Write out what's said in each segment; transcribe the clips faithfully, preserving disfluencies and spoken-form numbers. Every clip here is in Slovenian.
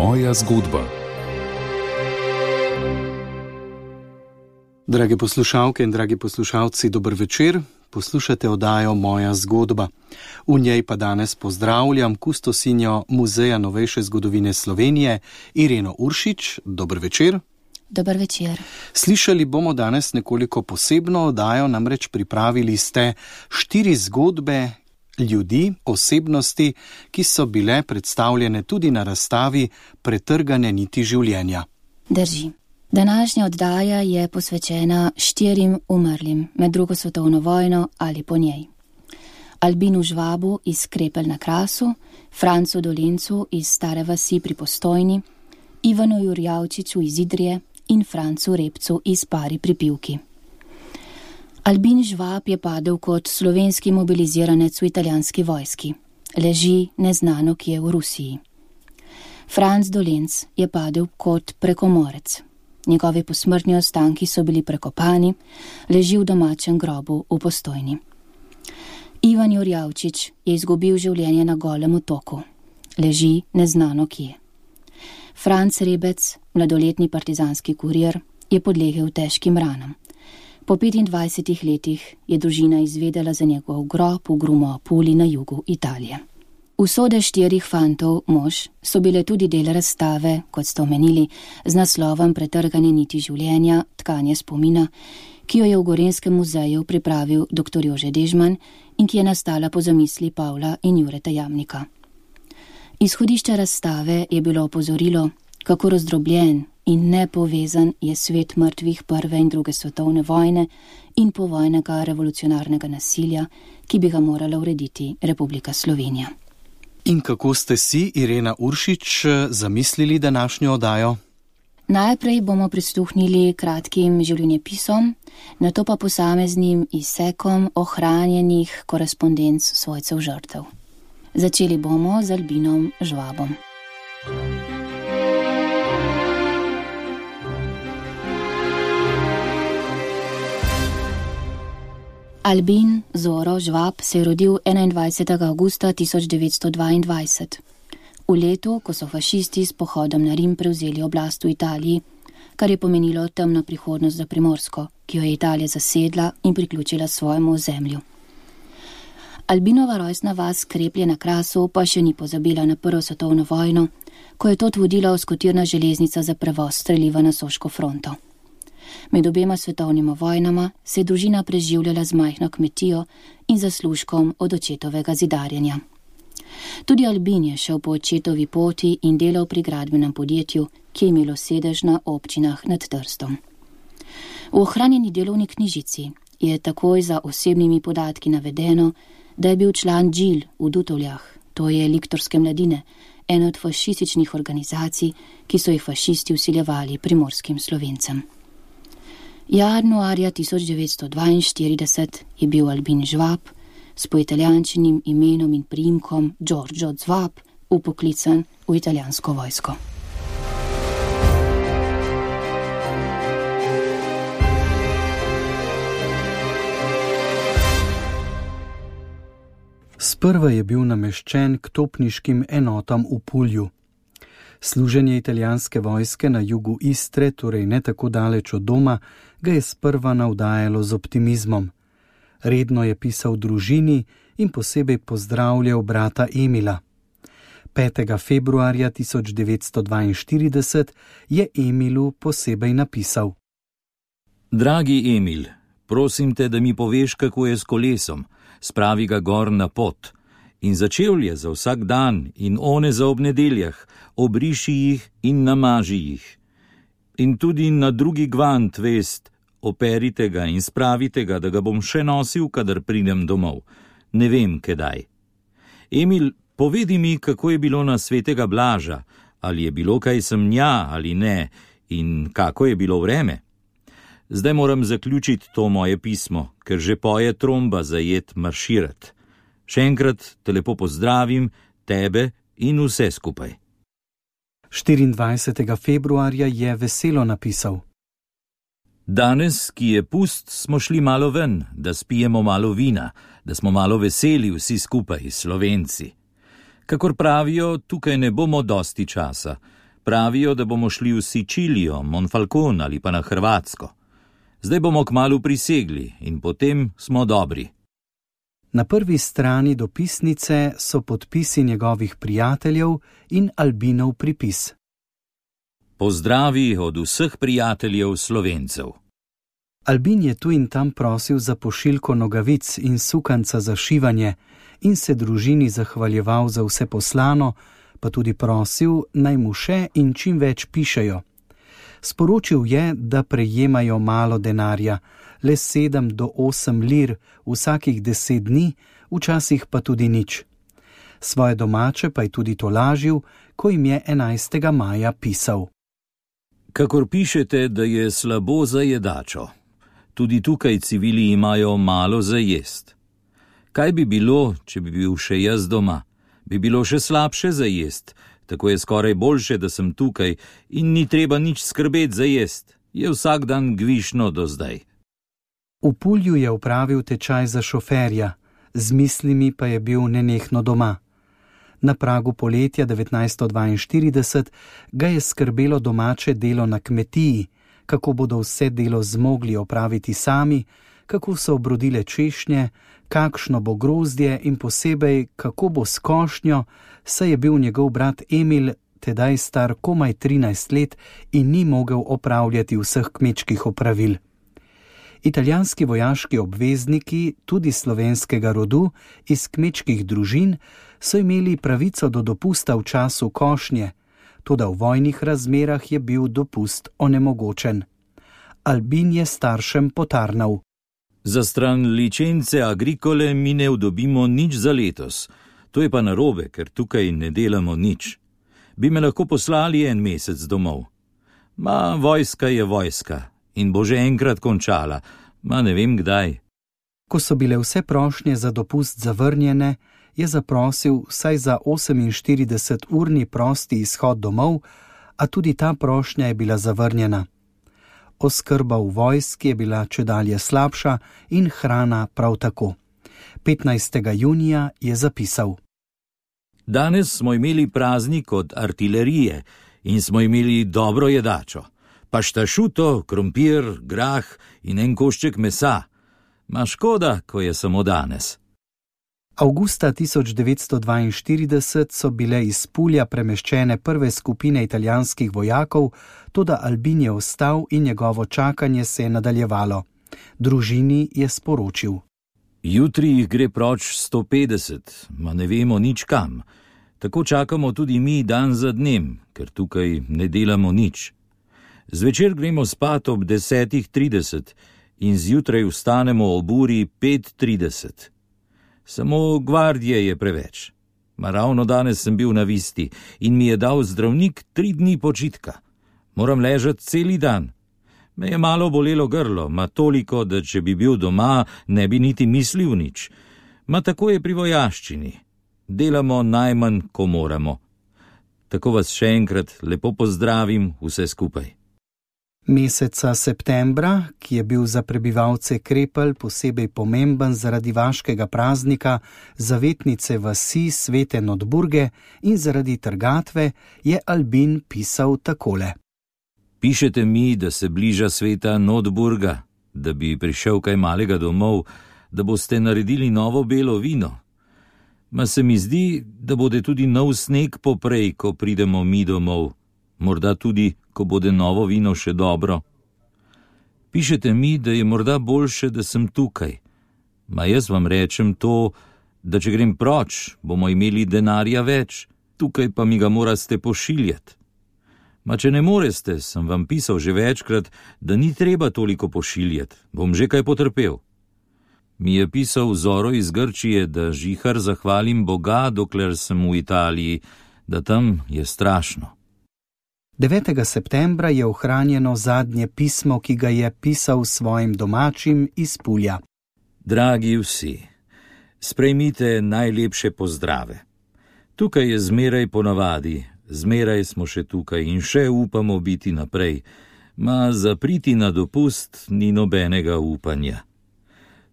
Moja zgodba. Drage poslušalke in dragi poslušalci, dober večer. Poslušate oddajo Moja zgodba. V njej pa danes pozdravljam kustosinjo Muzeja novejše zgodovine Slovenije, Ireno Uršič. Dober večer. Dober večer. Slišali bomo danes nekoliko posebno oddajo, namreč pripravili ste štiri zgodbe ljudi, osebnosti, ki so bile predstavljene tudi na razstavi Pretrgane niti življenja. Drži. Današnja oddaja je posvečena štirim umrlim med drugo svetovno vojno ali po njej. Albinu Žvabu iz Krepelj na Krasu, Francu Dolencu iz Stare vasi pri Postojni, Ivanu Jurjavčiču iz Idrije in Francu Repcu iz Pari pri Pivki. Albin Žvab je padel kot slovenski mobiliziranec v italijanski vojski. Leži neznano kje v Rusiji. Franc Dolenc je padel kot prekomorec. Njegovi posmrtni ostanki so bili prekopani, leži v domačem grobu v Postojni. Ivan Jurjavčič je izgubil življenje na Golem otoku. Leži neznano kje. Franc Rebec, mladoletni partizanski kurir, je podlegel težkim ranam. Po petindvajsetih letih je družina izvedela za njegov grob v Grumo-Apuli na jugu Italije. Usode štirih fantov mož so bile tudi del razstave, kot ste omenili, z naslovom Pretrgane niti življenja, tkanje spomina, ki jo je v Gorenjskem muzeju pripravil dr. Jože Dežman in ki je nastala po zamisli Pavla in Jureta Jamnika. Izhodišče razstave je bilo opozorilo, kako razdrobljen in nepovezan je svet mrtvih prve in druge svetovne vojne in povojnega revolucionarnega nasilja, ki bi ga morala urediti Republika Slovenija. In kako ste si, Irena Uršič, zamislili današnjo oddajo? Najprej bomo prisluhnili kratkim življenjepisom, nato pa posameznim izsekom ohranjenih korespondenc svojcev žrtev. Začeli bomo z Albinom Žvabom. Albin Zoro Žvab se je rodil enaindvajsetega avgusta tisoč devetsto dvaindvajset. V letu, ko so fašisti s pohodom na Rim prevzeli oblast v Italiji, kar je pomenilo temno prihodnost za Primorsko, ki jo je Italija zasedla in priključila svojemu ozemlju. Albinova rojstna vas Kreplje na Krasu pa še ni pozabila na prvo svetovno vojno, ko je tot vodila oskotirna železnica za prevoz streliva na Soško fronto. Med obema svetovnima vojnama se je družina preživljala z majhno kmetijo in zaslužkom od očetovega zidarjenja. Tudi Albin je šel po očetovi poti in delal pri gradbenem podjetju, ki je imelo sedež na občinah nad Trstom. V ohranjeni delovni knjižici je takoj za osebnimi podatki navedeno, da je bil član Džil v Dutovljah, to je Liktorske mladine, ena od fašističnih organizacij, ki so jih fašisti vsiljevali primorskim Slovencem. Januarja tisoč devetsto dvainštirideset je bil Albin Žvab s poitalijančenim imenom in priimkom Giorgio Zvab upoklican v italijansko vojsko. Sprva je bil nameščen k topniškim enotam v Pulju. Služenje italijanske vojske na jugu Istre, torej ne tako daleč od doma, ga je sprva navdajalo z optimizmom. Redno je pisal družini in posebej pozdravljal brata Emila. petega februarja tisoč devetsto dvainštirideset je Emilu posebej napisal: Dragi Emil, prosim te, da mi poveš, kako je s kolesom. Spravi ga gor na pot. In za čevlje za vsak dan in one za ob nedeljah, obriši jih in namaži jih. In tudi na drugi gvant vest, operite ga in spravite ga, da ga bom še nosil, kadar pridem domov. Ne vem, kdaj. Emil, povedi mi, kako je bilo na svetega Blaža, ali je bilo kaj semnja ali ne, in kako je bilo vreme. Zdaj moram zaključiti to moje pismo, ker že poje tromba zajet marširat. Še enkrat te lepo pozdravim, tebe in vse skupaj. štiriindvajsetega februarja je veselo napisal: Danes, ki je pust, smo šli malo ven, da spijemo malo vina, da smo malo veseli vsi skupaj, Slovenci. Kakor pravijo, tukaj ne bomo dosti časa. pravijo, da bomo šli v Sicilijo, Monfalcone ali pa na Hrvatsko. Zdaj bomo kmalu prisegli in potem smo dobri. Na prvi strani dopisnice so podpisi njegovih prijateljev in Albinov pripis. Pozdravi od vseh prijateljev Slovencev. Albin je tu in tam prosil za pošiljko nogavic in sukanca za šivanje in se družini zahvaljeval za vse poslano, pa tudi prosil, naj mu še in čim več pišejo. Sporočil je, da prejemajo malo denarja, le sedem do osem lir vsakih deset dni, včasih pa tudi nič. Svoje domače pa je tudi tolažil, ko jim je enajstega maja pisal. Kakor pišete, da je slabo za jedačo. Tudi tukaj civili imajo malo za jest. Kaj bi bilo, če bi bil še jaz doma? Bi bilo še slabše za jest. Tako je skoraj boljše, da sem tukaj in ni treba nič skrbeti za jest. Je vsak dan gvišno do zdaj. V Pulju je opravil tečaj za šoferja, z mislimi pa je bil nenehno doma. Na pragu poletja devetnajststo dvainštirideset ga je skrbelo domače delo na kmetiji, kako bodo vse delo zmogli opraviti sami, kako so obrodile češnje, kakšno bo grozdje in posebej, kako bo s košnjo, saj je bil njegov brat Emil tedaj star komaj trinajst let in ni mogel opravljati vseh kmečkih opravil. Italijanski vojaški obvezniki, tudi slovenskega rodu, iz kmečkih družin, so imeli pravico do dopusta v času košnje, toda v vojnih razmerah je bil dopust onemogočen. Albin je staršem potarnal. Za stran licence agrikole mi ne dobimo nič za letos. To je pa narobe, ker tukaj ne delamo nič. Bi me lahko poslali en mesec domov. Ma, vojska je vojska in bo že enkrat končala, ma ne vem kdaj. Ko so bile vse prošnje za dopust zavrnjene, je zaprosil vsaj za oseminštirideseturni prosti izhod domov, a tudi ta prošnja je bila zavrnjena. Oskrba v vojski je bila čedalje slabša in hrana prav tako. petnajstega junija je zapisal. Danes smo imeli praznik od artilerije in smo imeli dobro jedačo. Paštašuto, krompir, grah in en košček mesa. Ma škoda, ko je samo danes. Avgusta tisoč devetsto dvainštirideset so bile iz Pulja premeščene prve skupine italijanskih vojakov, toda Albin je ostal in njegovo čakanje se je nadaljevalo. Družini je sporočil. Jutri jih gre proč sto petdeset, ma ne vemo nič kam. Tako čakamo tudi mi dan za dnem, ker tukaj ne delamo nič. Zvečer gremo spat ob desetih trideset in zjutraj vstanemo ob uri pet trideset. Samo gvardije je preveč. Ma ravno danes sem bil na visti in mi je dal zdravnik tri dni počitka. Moram ležati celi dan. Me je malo bolelo grlo, ma toliko, da če bi bil doma, ne bi niti mislil nič. Ma tako je pri vojaščini. Delamo najmanj, ko moramo. Tako vas še enkrat lepo pozdravim vse skupaj. Meseca septembra, ki je bil za prebivalce Krepelj posebej pomemben zaradi vaškega praznika, zavetnice vasi Svete Notburge in zaradi trgatve, je Albin pisal takole. Pišete mi, da se bliža sveta Notburga, da bi prišel kaj malega domov, da boste naredili novo belo vino. Ma se mi zdi, da bode tudi nov sneg poprej, ko pridemo mi domov. Morda tudi, ko bode novo vino še dobro. Pišete mi, da je morda boljše, da sem tukaj. Ma jaz vam rečem to, da če grem proč, bomo imeli denarja več, tukaj pa mi ga morate pošiljati. Ma če ne moreste, sem vam pisal že večkrat, da ni treba toliko pošiljati, bom že kaj potrpel. Mi je pisal Zoro iz Grčije, da žihar zahvalim Boga, dokler sem v Italiji, da tam je strašno. devetega septembra je ohranjeno zadnje pismo, ki ga je pisal svojim domačim iz Pulja. Dragi vsi, sprejmite najlepše pozdrave. Tukaj je zmeraj ponavadi, zmeraj smo še tukaj in še upamo biti naprej, ma zapriti na dopust ni nobenega upanja.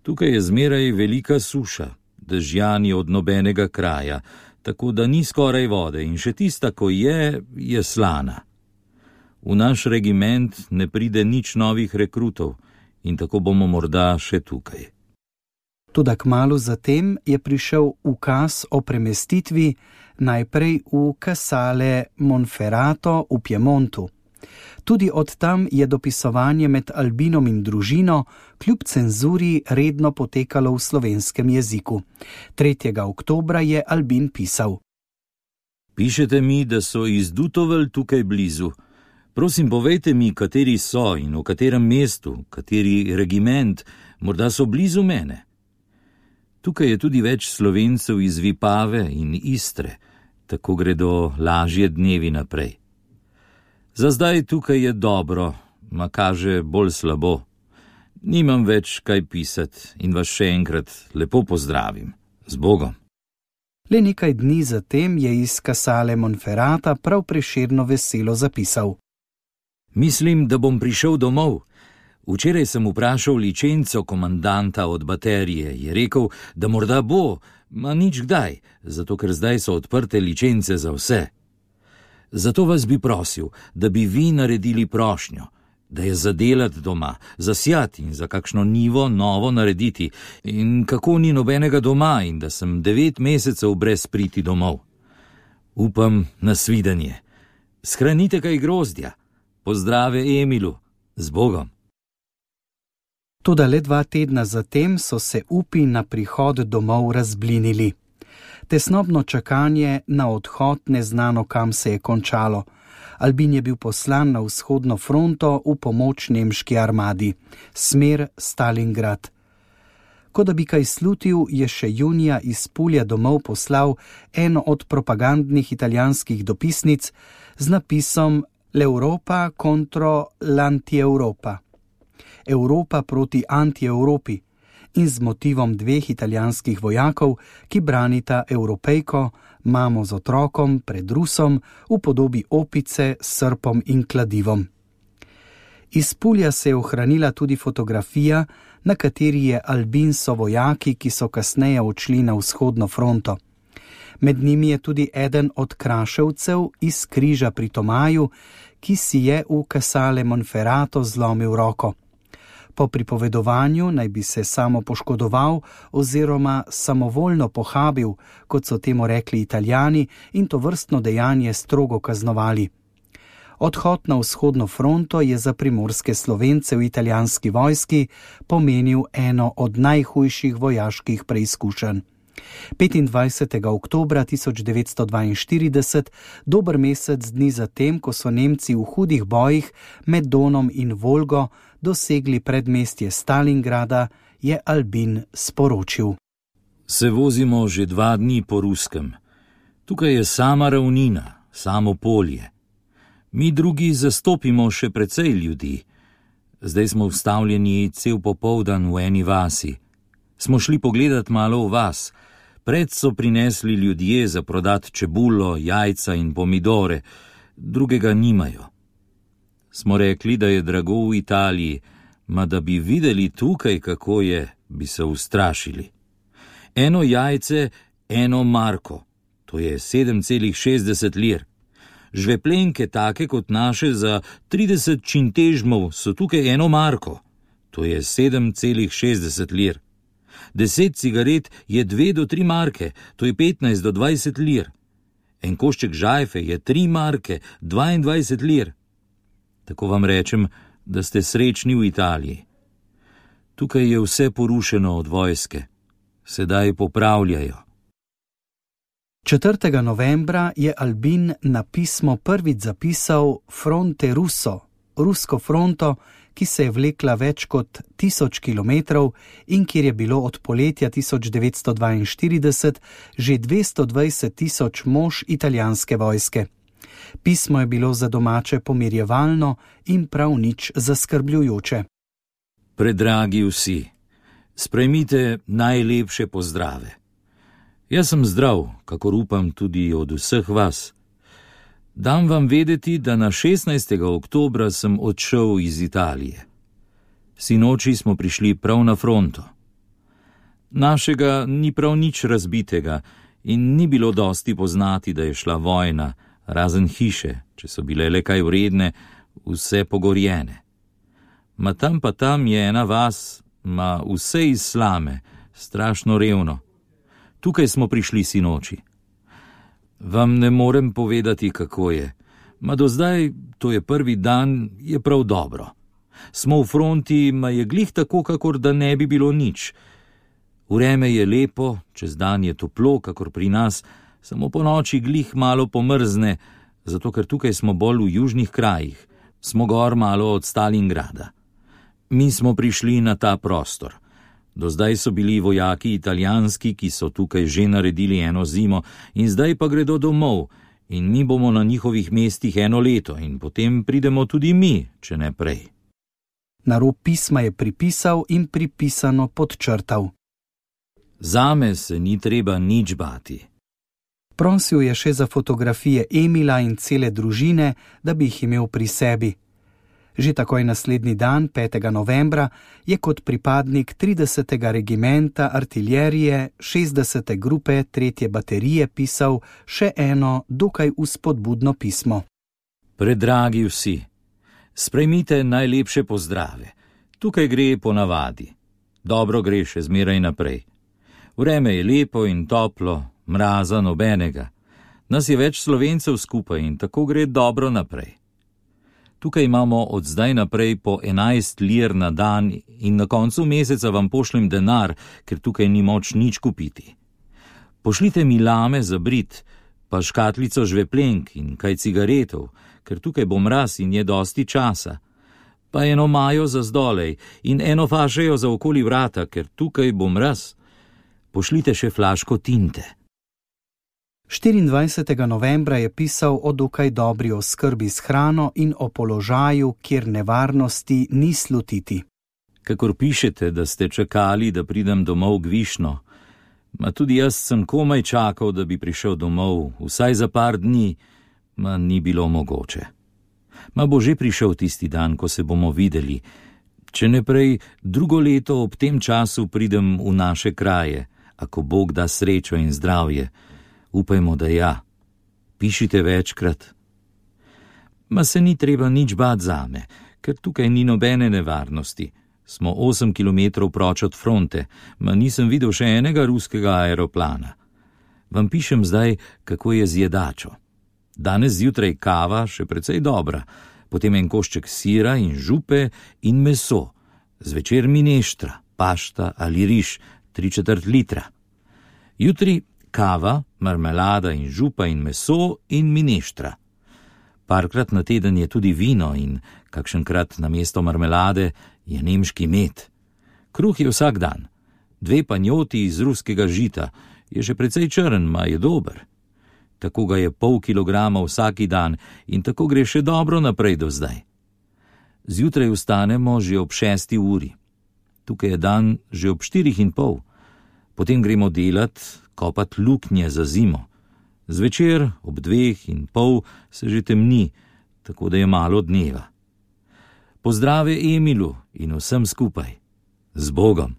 Tukaj je zmeraj velika suša, dežjani od nobenega kraja, tako da ni skoraj vode in še tista, ko je, je slana. V naš regiment ne pride nič novih rekrutov in tako bomo morda še tukaj. Toda kmalu zatem je prišel ukaz o premestitvi najprej v Casale Monferrato v Piemontu. Tudi od tam je dopisovanje med Albinom in družino kljub cenzuri redno potekalo v slovenskem jeziku. tretjega oktobra je Albin pisal: Pišete mi, da so iz Dutovelj tukaj blizu. Prosim, povejte mi, kateri so in v katerem mestu, kateri regiment, morda so blizu mene. Tukaj je tudi več Slovencev iz Vipave in Istre, tako gredo lažje dnevi naprej. Za zdaj tukaj je dobro, ma kaže bolj slabo. Nimam več kaj pisati in vas še enkrat lepo pozdravim. Z Bogom. Le nekaj dni zatem je iz Casale Monferrata prav Prešerno veselo zapisal: Mislim, da bom prišel domov. Včeraj sem vprašal ličenco komandanta od baterije. Je rekel, da morda bo, ma nič kdaj, zato ker zdaj so odprte ličence za vse. Zato vas bi prosil, da bi vi naredili prošnjo, da je zadelati doma, zasjati in za kakšno nivo novo narediti, in kako ni nobenega doma in da sem devet mesecev brez priti domov. Upam na svidenje. Shranite kaj grozdja. Pozdrave Emilu. Z Bogom. Toda le dva tedna zatem so se upi na prihod domov razblinili. Tesnobno čakanje na odhod neznano kam se je končalo. Albin je bil poslan na vzhodno fronto v pomoč nemški armadi, smer Stalingrad. Ko da bi kaj slutil, je še junija iz Pulja domov poslal eno od propagandnih italijanskih dopisnic z napisom L'Europa contro l'Anti-Europa, Evropa proti Anti-Evropi, in z motivom dveh italijanskih vojakov, ki branita Evropejko, mamo z otrokom pred Rusom v podobi opice s srpom in kladivom. Iz Pulja se je ohranila tudi fotografija, na kateri je Albin so vojaki, ki so kasneje odšli na vzhodno fronto. Med njimi je tudi eden od kraševcev iz križa pri Tomaju, ki si je v Casale Monferrato zlomil roko. Po pripovedovanju naj bi se samo poškodoval oziroma samovoljno pohabil, kot so temu rekli Italijani, in to vrstno dejanje strogo kaznovali. Odhod na vzhodno fronto je za primorske Slovence v italijanski vojski pomenil eno od najhujših vojaških preizkušenj. petindvajsetega oktobra tisoč devetsto dvainštirideset, dober mesec dni zatem, ko so Nemci v hudih bojih med Donom in Volgo dosegli predmestje Stalingrada, je Albin sporočil: Se vozimo že dva dni po ruskem. Tukaj je sama ravnina, samo polje. Mi drugi zastopimo še precej ljudi. Zdaj smo vstavljeni cel popoldan v eni vasi. Smo šli pogledat malo v vas. Pred so prinesli ljudje za prodat čebulo, jajca in pomidore, drugega nimajo. Smo rekli, da je drago v Italiji, ma da bi videli tukaj, kako je, bi se ustrašili. Eno jajce, eno marko, to je sedem celih šestdeset lir. Žveplenke take kot naše za trideset čintežmov so tukaj eno marko, to je sedem celih šestdeset lir. Deset cigaret je dve do tri marke, to je petnajst do dvajset lir. En košček žajfe je tri marke, dvaindvajset lir. Tako vam rečem, da ste srečni v Italiji. Tukaj je vse porušeno od vojske. Sedaj popravljajo. četrtega novembra je Albin na pismo prvič zapisal Fronte Russo, rusko fronto, ki se je vlekla več kot tisoč kilometrov in kjer je bilo od poletja tisoč devetsto dvainštirideset že dvesto dvajset tisoč mož italijanske vojske. Pismo je bilo za domače pomirjevalno in prav nič zaskrbljujoče. Predragi vsi, sprejmite najlepše pozdrave. Jaz sem zdrav, kakor upam tudi od vseh vas. Dam vam vedeti, da na šestnajstega oktobra sem odšel iz Italije. Sinoči smo prišli prav na fronto. Našega ni prav nič razbitega in ni bilo dosti poznati, da je šla vojna, razen hiše, če so bile le kaj vredne, vse pogorjene. Ma tam pa tam je ena vas, ma vse iz slame, strašno revno. Tukaj smo prišli sinoči. Vam ne morem povedati, kako je. Ma do zdaj, to je prvi dan, je prav dobro. Smo v fronti, ma je glih tako, kakor da ne bi bilo nič. Vreme je lepo, čez dan je toplo, kakor pri nas, samo po noči glih malo pomrzne, zato ker tukaj smo bolj v južnih krajih, smo gor malo od Stalingrada. Mi smo prišli na ta prostor. Do zdaj so bili vojaki italijanski, ki so tukaj že naredili eno zimo, in zdaj pa gredo domov, in mi bomo na njihovih mestih eno leto, in potem pridemo tudi mi, če ne prej. Na rob pisma je pripisal in pripisano podčrtal. Zame se ni treba nič bati. Prosil je še za fotografije Emila in cele družine, da bi jih imel pri sebi. Že takoj naslednji dan, petega novembra, je kot pripadnik tridesetega regimenta artilerije šestdesete grupe tretje baterije pisal še eno dokaj vzpodbudno pismo. Predragi vsi, sprejmite najlepše pozdrave. Tukaj gre po navadi. Dobro gre še zmeraj naprej. Vreme je lepo in toplo, mraza nobenega. Nas je več Slovencev skupaj in tako gre dobro naprej. Tukaj imamo od zdaj naprej po enajst lir na dan in na koncu meseca vam pošljem denar, ker tukaj ni moč nič kupiti. Pošljite mi lame za brit, pa škatlico žveplenk in kaj cigaretov, ker tukaj bo mraz in je dosti časa. Pa eno majo za zdolej in eno fašejo za okoli vrata, ker tukaj bo mraz. Pošljite še flaško tinte. štiriindvajsetega novembra je pisal o dokaj dobri oskrbi s hrano in o položaju, kjer nevarnosti ni slutiti. Kakor pišete, da ste čakali, da pridem domov gvišno, ma tudi jaz sem komaj čakal, da bi prišel domov, vsaj za par dni, ma ni bilo mogoče. Ma bo že prišel tisti dan, ko se bomo videli. Če ne prej, drugo leto ob tem času pridem v naše kraje, ako Bog da srečo in zdravje. Upajmo, da ja. Pišite večkrat. Ma se ni treba nič bati zame, ker tukaj ni nobene nevarnosti. Smo osem kilometrov proč od fronte, ma nisem videl še enega ruskega aeroplana. Vam pišem zdaj, kako je z jedačo. Danes zjutraj kava, še precej dobra, potem en košček sira in župe in meso, zvečer mineštra, pašta ali riž, tri četrt litra. Jutri kava, marmelada in župa in meso in mineštra. Parkrat na teden je tudi vino in kakšenkrat na mesto marmelade je nemški med. Kruh je vsak dan. Dve panjoti iz ruskega žita, je že precej črn, ma je dober. Tako ga je pol kilograma vsaki dan in tako gre še dobro naprej do zdaj. Zjutraj vstanemo že ob šesti uri. Tukaj je dan že ob štirih in pol. Potem gremo delat, kopat luknje za zimo. Zvečer ob dveh in pol se že temni, tako da je malo dneva. Pozdrave Emilu in vsem skupaj. Z Bogom.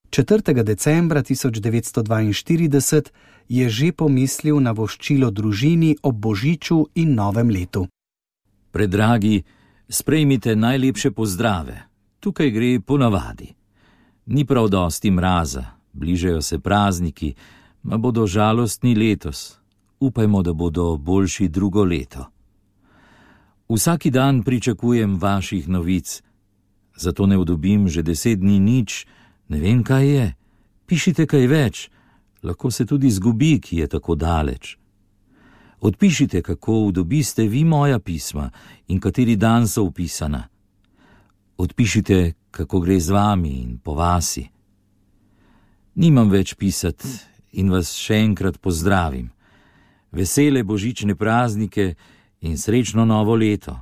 četrtega decembra tisoč devetsto dvainštirideset je že pomislil na voščilo družini ob Božiču in Novem letu. Predragi, sprejmite najlepše pozdrave. Tukaj gre po navadi. Ni prav dosti mraza, bližajo se prazniki, ma bodo žalostni letos. Upajmo, da bodo boljši drugo leto. Vsaki dan pričakujem vaših novic, zato ne odobim že deset dni nič, ne vem, kaj je. Pišite kaj več, lahko se tudi zgubi, ki je tako daleč. Odpišite, kako udobiste vi moja pisma in kateri dan so vpisana. Odpišite, kako gre z vami in po vasi. Nimam več pisati in vas še enkrat pozdravim. Vesele božične praznike in srečno novo leto.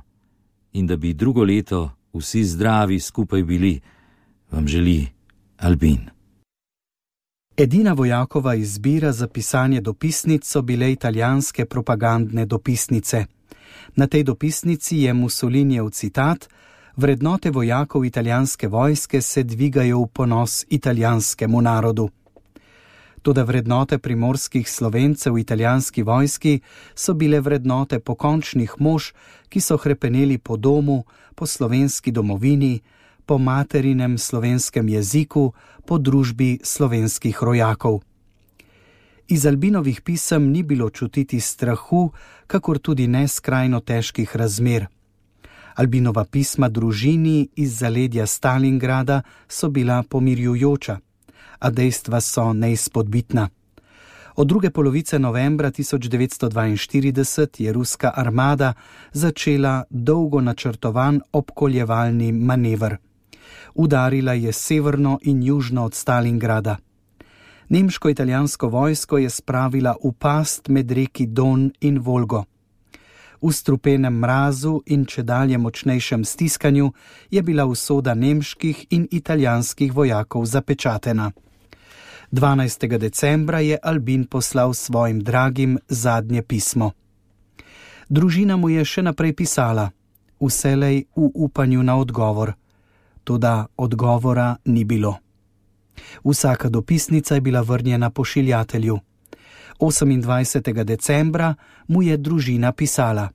In da bi drugo leto vsi zdravi skupaj bili, vam želi Albin. Edina vojakova izbira za pisanje dopisnic so bile italijanske propagandne dopisnice. Na tej dopisnici je Mussolinijev citat: vrednote vojakov italijanske vojske se dvigajo v ponos italijanskemu narodu. Toda vrednote primorskih Slovencev v italijanski vojski so bile vrednote pokončnih mož, ki so hrepeneli po domu, po slovenski domovini, po materinem slovenskem jeziku, po družbi slovenskih rojakov. Iz Albinovih pisem ni bilo čutiti strahu, kakor tudi ne skrajno težkih razmer. Albinova pisma družini iz zaledja Stalingrada so bila pomirjujoča, a dejstva so neizpodbitna. Od druge polovice novembra tisoč devetsto dvainštirideset je ruska armada začela dolgo načrtovan obkoljevalni manever. Udarila je severno in južno od Stalingrada. Nemško-italijansko vojsko je spravila v past med reki Don in Volgo. V strupenem mrazu in čedalje močnejšem stiskanju je bila usoda nemških in italijanskih vojakov zapečatena. dvanajstega decembra je Albin poslal svojim dragim zadnje pismo. Družina mu je še naprej pisala, vselej v upanju na odgovor. Toda odgovora ni bilo. Vsaka dopisnica je bila vrnjena pošiljatelju. osemindvajsetega decembra mu je družina pisala: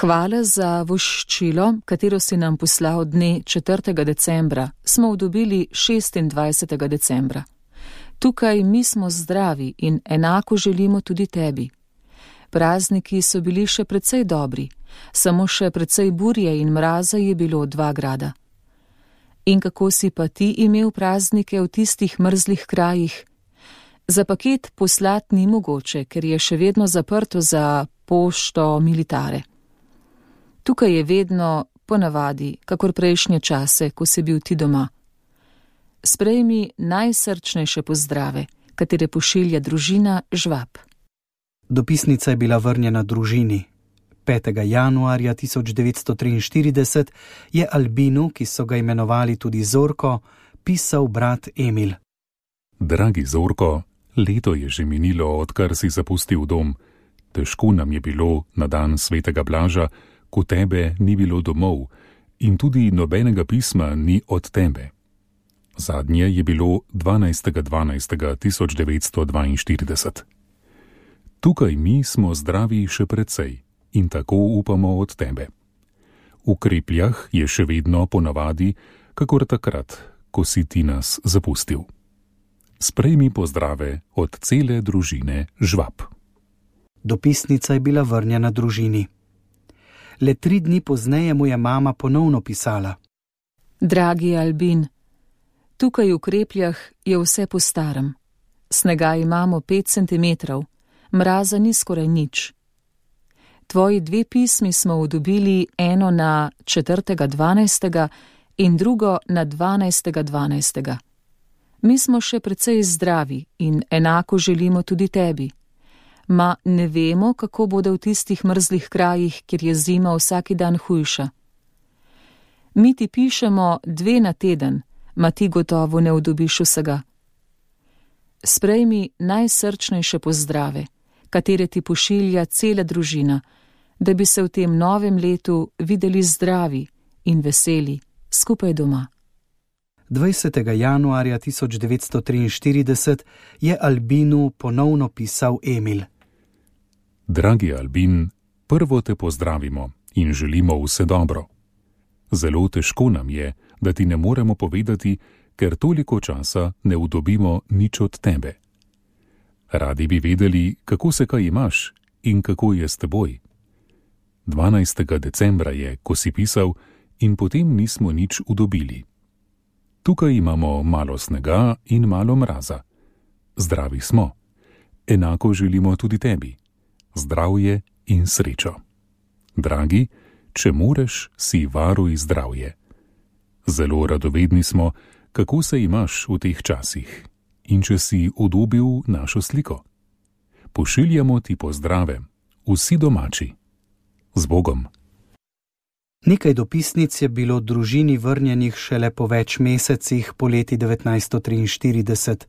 Hvala za voščilo, katero si nam poslal dne četrtega decembra, smo dobili šestindvajsetega decembra. Tukaj mi smo zdravi in enako želimo tudi tebi. Prazniki so bili še precej dobri, samo še precej burje in mraza je bilo dva grada. In kako si pa ti imel praznike v tistih mrzlih krajih? Za paket poslat ni mogoče, ker je še vedno zaprto za pošto militare. Tukaj je vedno ponavadi, kakor prejšnje čase, ko si bil ti doma. Sprejmi najsrčnejše pozdrave, katere pošilja družina Žvab. Dopisnica je bila vrnjena družini. petega januarja tisoč devetsto triinštirideset je Albinu, ki so ga imenovali tudi Zorko, pisal brat Emil. Dragi Zorko, leto je že minilo, odkar si zapustil dom. Težko nam je bilo na dan svetega Blaža, ko tebe ni bilo domov in tudi nobenega pisma ni od tebe. Zadnje je bilo dvanajstega dvanajstega tisoč devetsto dvainštirideset. Tukaj mi smo zdravi še precej in tako upamo od tebe. V krepljah je še vedno ponavadi, kakor takrat, ko si ti nas zapustil. Sprejmi pozdrave od cele družine Žvab. Dopisnica je bila vrnjena družini. Le tri dni pozneje mu je mama ponovno pisala: Dragi Albin, tukaj v krepljah je vse po starem. Snega imamo pet centimetrov, mraza ni skoraj nič. Tvoji dve pismi smo dobili, eno na četrtega dvanajstega in drugo na dvanajstega dvanajstega. Mi smo še precej zdravi in enako želimo tudi tebi. Ma ne vemo, kako bodo v tistih mrzlih krajih, kjer je zima vsaki dan hujša. Mi ti pišemo dve na teden, ma ti gotovo ne udobiš vsega. Sprejmi najsrčnejše pozdrave, katere ti pošilja cela družina, da bi se v tem novem letu videli zdravi in veseli skupaj doma. dvajsetega januarja tisoč devetsto triinštirideset je Albinu ponovno pisal Emil. Dragi Albin, prvo te pozdravimo in želimo vse dobro. Zelo težko nam je, da ti ne moremo povedati, ker toliko časa ne udobimo nič od tebe. Radi bi vedeli, kako se kaj imaš in kako je s teboj. dvanajstega decembra je, ko si pisal, in potem nismo nič udobili. Tukaj imamo malo snega in malo mraza. Zdravi smo. Enako želimo tudi tebi. Zdravje in srečo. Dragi, če moreš, si varuj zdravje. Zelo radovedni smo, kako se imaš v teh časih in če si udobil našo sliko. Pošiljamo ti pozdrave, vsi domači. Z Bogom. Nekaj dopisnic je bilo družini vrnjenih šele po več mesecih poleti devetnajststo triinštirideset.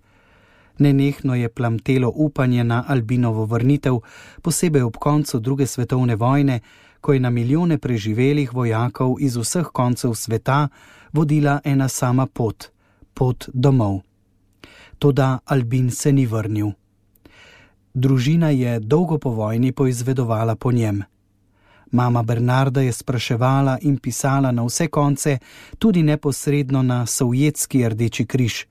Nenehno je plamtelo upanje na Albinovo vrnitev, posebej ob koncu druge svetovne vojne, ko je na milijone preživelih vojakov iz vseh koncev sveta vodila ena sama pot, pot domov. toda Albin se ni vrnil. Družina je dolgo po vojni poizvedovala po njem. Mama Bernarda je spraševala in pisala na vse konce, tudi neposredno na Sovjetski Rdeči križ.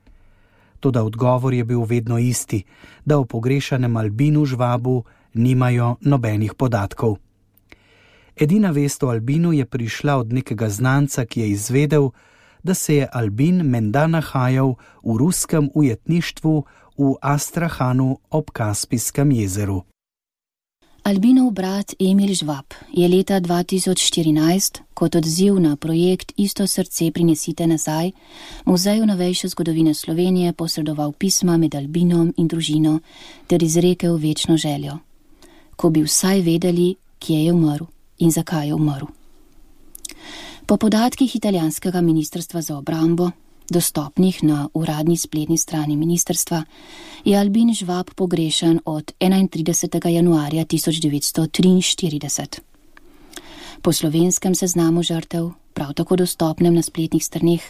Toda odgovor je bil vedno isti, da o pogrešanem Albinu Žvabu nimajo nobenih podatkov. Edina vest o Albinu je prišla od nekega znanca, ki je izvedel, da se je Albin menda nahajal v ruskem ujetništvu v Astrahanu ob Kaspijskem jezeru. Albinov brat Emil Žvab je leta dva tisoč štirinajst kot odziv na projekt Isto srce prinesite nazaj Muzeju novejše zgodovine Slovenije posredoval pisma med Albinom in družino ter izrekel večno željo. Ko bi vsaj vedeli, kje je umrl in zakaj je umrl. Po podatkih italijanskega ministrstva za obrambo, dostopnih na uradni spletni strani ministrstva, je Albin Žvab pogrešan od enaintridesetega januarja tisoč devetsto triinštirideset. Po slovenskem seznamu žrtev, prav tako dostopnem na spletnih straneh,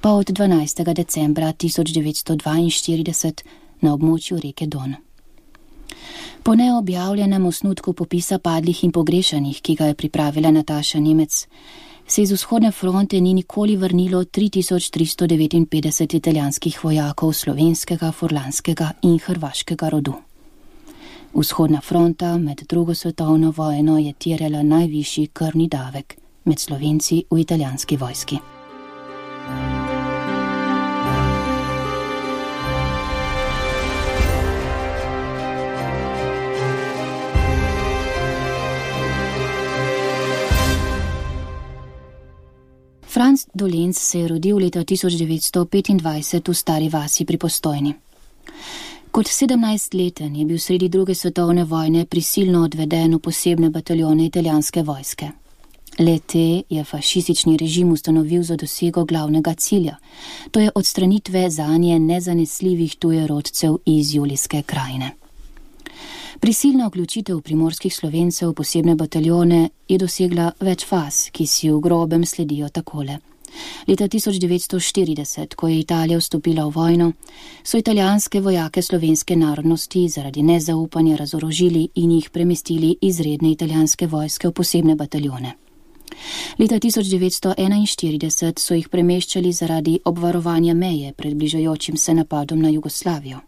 pa od dvanajstega decembra tisoč devetsto dvainštirideset na območju reke Don. Po neobjavljenem osnutku popisa padlih in pogrešanih, ki ga je pripravila Nataša Nemec, se iz vzhodne fronte ni nikoli vrnilo tri tisoč tristo devetinpetdeset italijanskih vojakov slovenskega, furlanskega in hrvaškega rodu. Vzhodna fronta med drugo svetovno vojno je terjala najvišji krvni davek med Slovenci v italijanski vojski. Franc Dolenc se je rodil leta tisoč devetsto petindvajset v Stari vasi pri Postojni. Kot sedemnajstleten je bil sredi druge svetovne vojne prisilno odveden v posebne bataljone italijanske vojske. Le-te je fašistični režim ustanovil za dosego glavnega cilja, to je odstranitve zanje nezanesljivih tujerodcev iz Julijske krajine. Prisilna vključitev primorskih Slovencev v posebne bataljone je dosegla več faz, ki si v grobem sledijo takole. Leta tisoč devetsto štirideset, ko je Italija vstopila v vojno, so italijanske vojake slovenske narodnosti zaradi nezaupanja razorožili in jih premestili iz redne italijanske vojske v posebne bataljone. Leta tisoč devetsto enainštirideset so jih premeščali zaradi obvarovanja meje pred bližajočim se napadom na Jugoslavijo.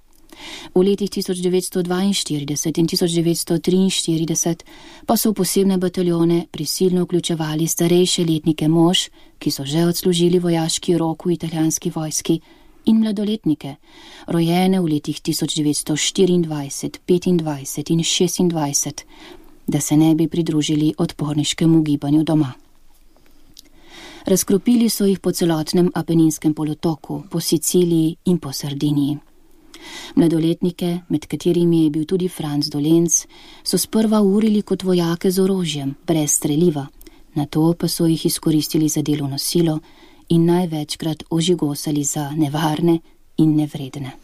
V letih tisoč devetsto dvainštirideset in tisoč devetsto triinštirideset pa so v posebne bataljone prisilno vključevali starejše letnike mož, ki so že odslužili vojaški rok v italijanski vojski, in mladoletnike, rojene v letih tisoč devetsto štiriindvajset, petindvajset in šestindvajset, da se ne bi pridružili odporniškemu gibanju doma. Razkropili so jih po celotnem Apeninskem polotoku, po Siciliji in po Sardiniji. Mladoletnike, med katerimi je bil tudi Franc Dolenc, so sprva urili kot vojake z orožjem, brez streliva, nato pa so jih izkoristili za delovno silo in največkrat ožigosali za nevarne in nevredne.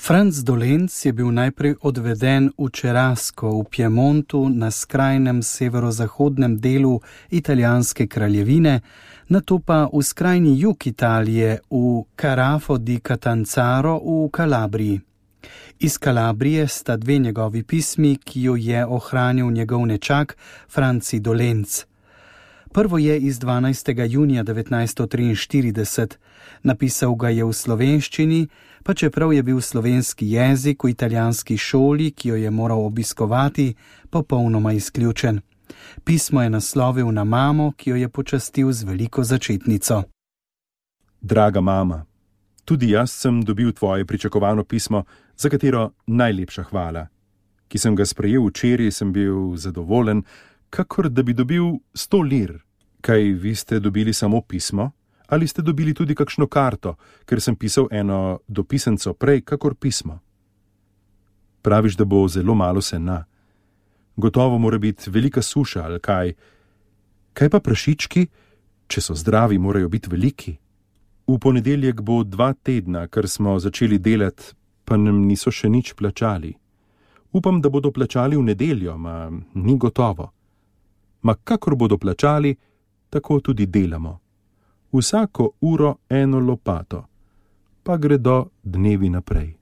Franc Dolenc je bil najprej odveden v Čerasko v Piemontu na skrajnem severozahodnem delu italijanske kraljevine, nato pa v skrajni jug Italije v Carafo di Catanzaro v Kalabriji. Iz Kalabrije sta dve njegovi pismi, ki jo je ohranil njegov nečak Franci Dolenc. Prvo je iz dvanajstega junija devetnajststo triinštirideset, napisal ga je v slovenščini, pa čeprav je bil slovenski jezik v italijanski šoli, ki jo je moral obiskovati, popolnoma izključen. Pismo je naslovil na mamo, ki jo je počastil z veliko začetnico. Draga mama, tudi jaz sem dobil tvoje pričakovano pismo, za katero najlepša hvala. Ki sem ga sprejel včeraj, sem bil zadovoljen, kakor da bi dobil sto lir. Kaj vi ste dobili samo pismo? Ali ste dobili tudi kakšno karto, ker sem pisal eno dopisenco prej, kakor pismo? Praviš, da bo zelo malo sena. Gotovo mora biti velika suša, ali kaj. Kaj pa prašički? Če so zdravi, morajo biti veliki. V ponedeljek bo dva tedna, ker smo začeli delati, pa nam niso še nič plačali. Upam, da bodo plačali v nedeljo, ma ni gotovo. Ma kakor bodo plačali, tako tudi delamo. Vsako uro eno lopato, pa gredo dnevi naprej.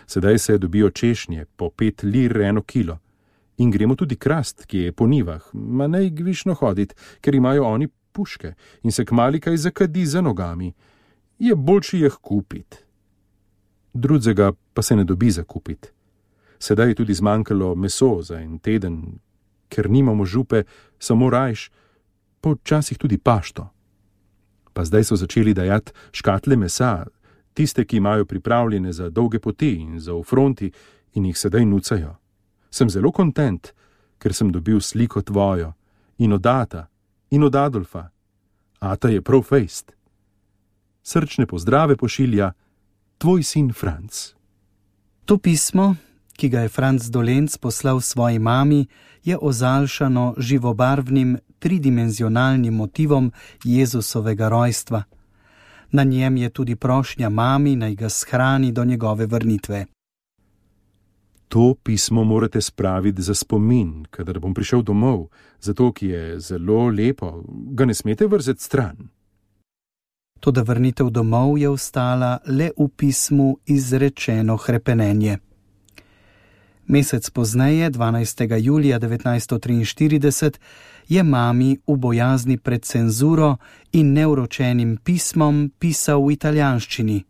Sedaj se dobijo češnje, po pet lir eno kilo. In gremo tudi krast, ki je po nivah, ma ne gvišno hodit, ker imajo oni puške in se kmali kaj zakadi za nogami. Je boljši jih kupit. Drudzega pa se ne dobi za kupit. Sedaj je tudi zmanjkalo meso za en teden, ker nimamo župe, samo rajš, počasih tudi pašto. Pa zdaj so začeli dajati škatle mesa, tiste, ki imajo pripravljene za dolge poti in za v fronti in jih sedaj nucajo. Sem zelo kontent, ker sem dobil sliko tvojo in od Ata in od Adolfa. Ata je prav fejst. Srčne pozdrave pošilja tvoj sin Franc. To pismo, ki ga je Franc Dolenc poslal svoji mami, je ozaljšano živobarvnim tridimenzionalnim motivom Jezusovega rojstva. Na njem je tudi prošnja mami, naj ga shrani do njegove vrnitve. To pismo morate spraviti za spomin, kadar bom prišel domov, zato ki je zelo lepo, ga ne smete vrzeti stran. Toda vrnitev domov je ostala le v pismu izrečeno hrepenenje. Mesec pozneje, dvanajstega julija devetnajststo triinštirideset, je mami v bojazni pred cenzuro in neuročenim pismom pisal v italijanščini.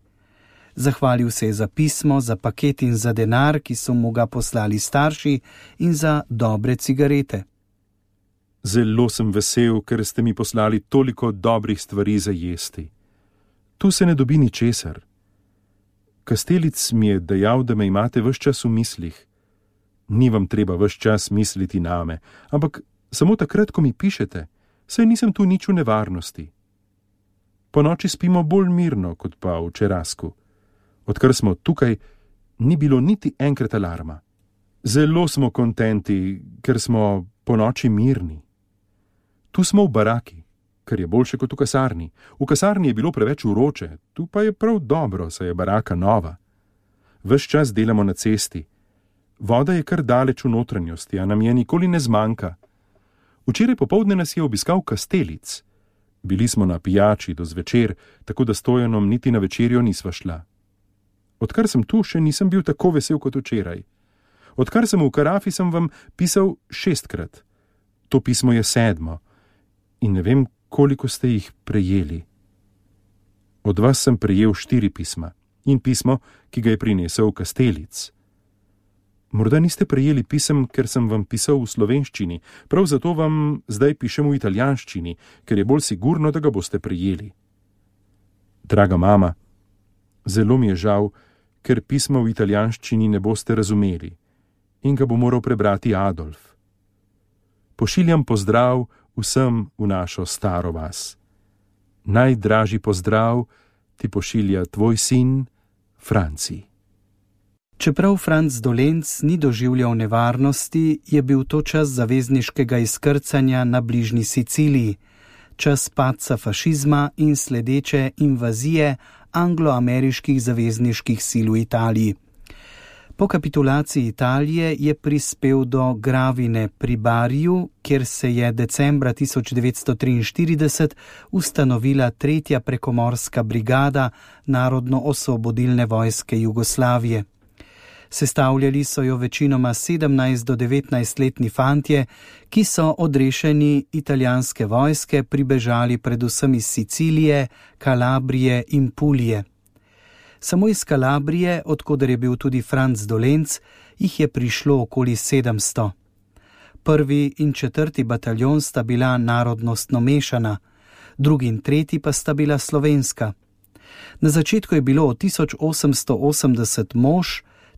Zahvalil se je za pismo, za paket in za denar, ki so mu ga poslali starši, in za dobre cigarete. Zelo sem vesel, ker ste mi poslali toliko dobrih stvari za jesti. Tu se ne dobi ničesar. Kastelic mi je dejal, da me imate ves čas v mislih. Ni vam treba ves čas misliti name, ampak samo takrat, ko mi pišete, saj nisem tu nič v nevarnosti. Po noči spimo bolj mirno, kot pa v Čerasku. Odkar smo tukaj, ni bilo niti enkrat alarma. Zelo smo kontenti, ker smo po noči mirni. Tu smo v baraki, kar je boljše kot v kasarni. V kasarni je bilo preveč vroče, tu pa je prav dobro, saj je baraka nova. Ves čas delamo na cesti. Voda je kar daleč v notranjosti, a nam je nikoli ne zmanjka. Včeraj popoldne nas je obiskal Kastelic. Bili smo na pijači do zvečer, tako da Stojanom niti na večerjo nisva šla. Odkar sem tu, še nisem bil tako vesel kot včeraj. Odkar sem v Karafi, sem vam pisal šestkrat. To pismo je sedmo in ne vem, koliko ste jih prejeli. Od vas sem prejel štiri pisma in pismo, ki ga je prinesel Kastelic. Morda niste prejeli pisem, ker sem vam pisal v slovenščini, prav zato vam zdaj pišem v italijanščini, ker je bolj sigurno, da ga boste prejeli. Draga mama, zelo mi je žal, ker pisma v italijanščini ne boste razumeli in ga bo moral prebrati Adolf. Pošiljam pozdrav vsem v našo staro vas. Najdražji pozdrav ti pošilja tvoj sin Franci. Čeprav Franc Dolenc ni doživljal nevarnosti, je bil to čas zavezniškega izkrcanja na bližnji Siciliji, čas padca fašizma in sledeče invazije anglo-ameriških zavezniških sil v Italiji. Po kapitulaciji Italije je prispel do Gravine pri Bariju, kjer se je decembra tisoč devetsto triinštirideset ustanovila tretja prekomorska brigada Narodno-osvobodilne vojske Jugoslavije. Sestavljali so jo večinoma sedemnajst do devetnajst letni fantje, ki so odrešeni italijanske vojske pribežali predvsem iz Sicilije, Kalabrije in Pulije. Samo iz Kalabrije, odkoder je bil tudi Franc Dolenc, jih je prišlo okoli sedemsto. Prvi in četrti bataljon sta bila narodnostno mešana, drugi in tretji pa sta bila slovenska. Na začetku je bilo od tisoč osemsto osemdeset mož,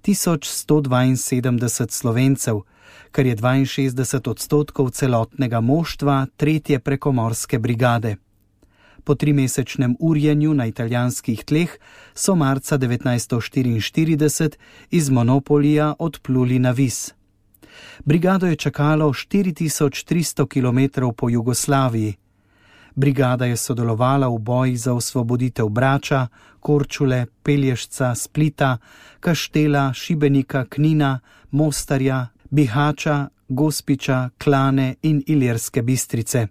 tisoč sto dvainsedemdeset Slovencev, kar je dvainšestdeset odstotkov celotnega moštva tretje prekomorske brigade. Po trimesečnem urjenju na italijanskih tleh so marca devetnajststo štiriinštirideset iz Monopolija odpluli na Vis. Brigado je čakalo štiri tisoč tristo kilometrov po Jugoslaviji. Brigada je sodelovala v bojih za osvoboditev Brača, Korčule, Pelješca, Splita, Kaštela, Šibenika, Knina, Mostarja, Bihača, Gospiča, Klane in Ilirske Bistrice.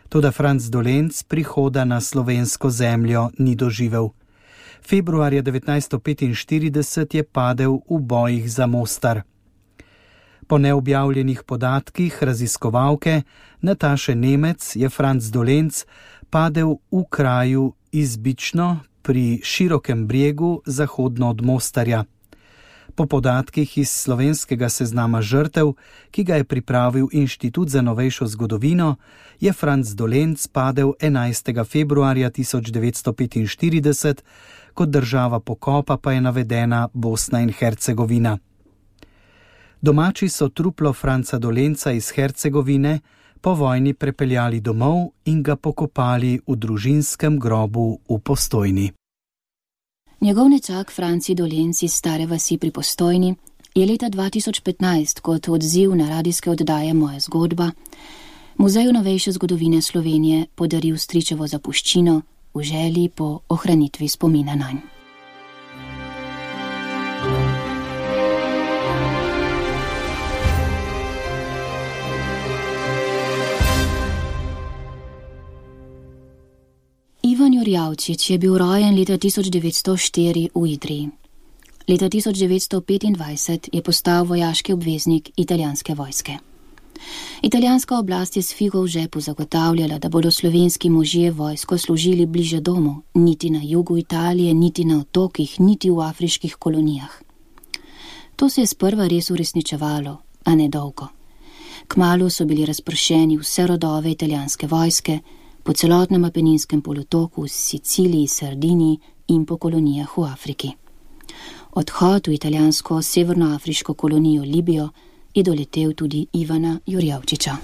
Toda Franc Dolenc prihoda na slovensko zemljo ni doživel. Februarja devetnajststo petinštirideset je padel v bojih za Mostar. Po neobjavljenih podatkih raziskovalke Nataše Nemec je Franc Dolenc padel v kraju Izbično pri Širokem bregu zahodno od Mostarja. Po podatkih iz slovenskega seznama žrtev, ki ga je pripravil Inštitut za novejšo zgodovino, je Franc Dolenc padel enajstega februarja tisoč devetsto petinštirideset, kot država pokopa pa je navedena Bosna in Hercegovina. Domači so truplo Franca Dolenca iz Hercegovine po vojni prepeljali domov in ga pokopali v družinskem grobu v Postojni. Njegov nečak Franci Dolenc iz Stare vasi pri Postojni je leta dva tisoč petnajst kot odziv na radijske oddaje Moja zgodba Muzeju novejše zgodovine Slovenije podaril stričevo zapuščino v želji po ohranitvi spomina nanj. Ivan Jurjavčič je bil rojen leta tisoč devetsto štiri v Idriji. Leta tisoč devetsto petindvajset je postal vojaški obveznik italijanske vojske. Italijanska oblast je s figo v žepu zagotavljala, da bodo slovenski možje vojsko služili bliže domu, niti na jugu Italije, niti na otokih, niti v afriških kolonijah. To se je sprva res uresničevalo, a ne dolgo. Kmalu so bili razpršeni vse rodove italijanske vojske, po celotnem Apeninskem polotoku, Siciliji, Sardiniji in po kolonijah v Afriki. Odhod v italijansko severnoafriško kolonijo Libijo je doletel tudi Ivana Jurjavčiča.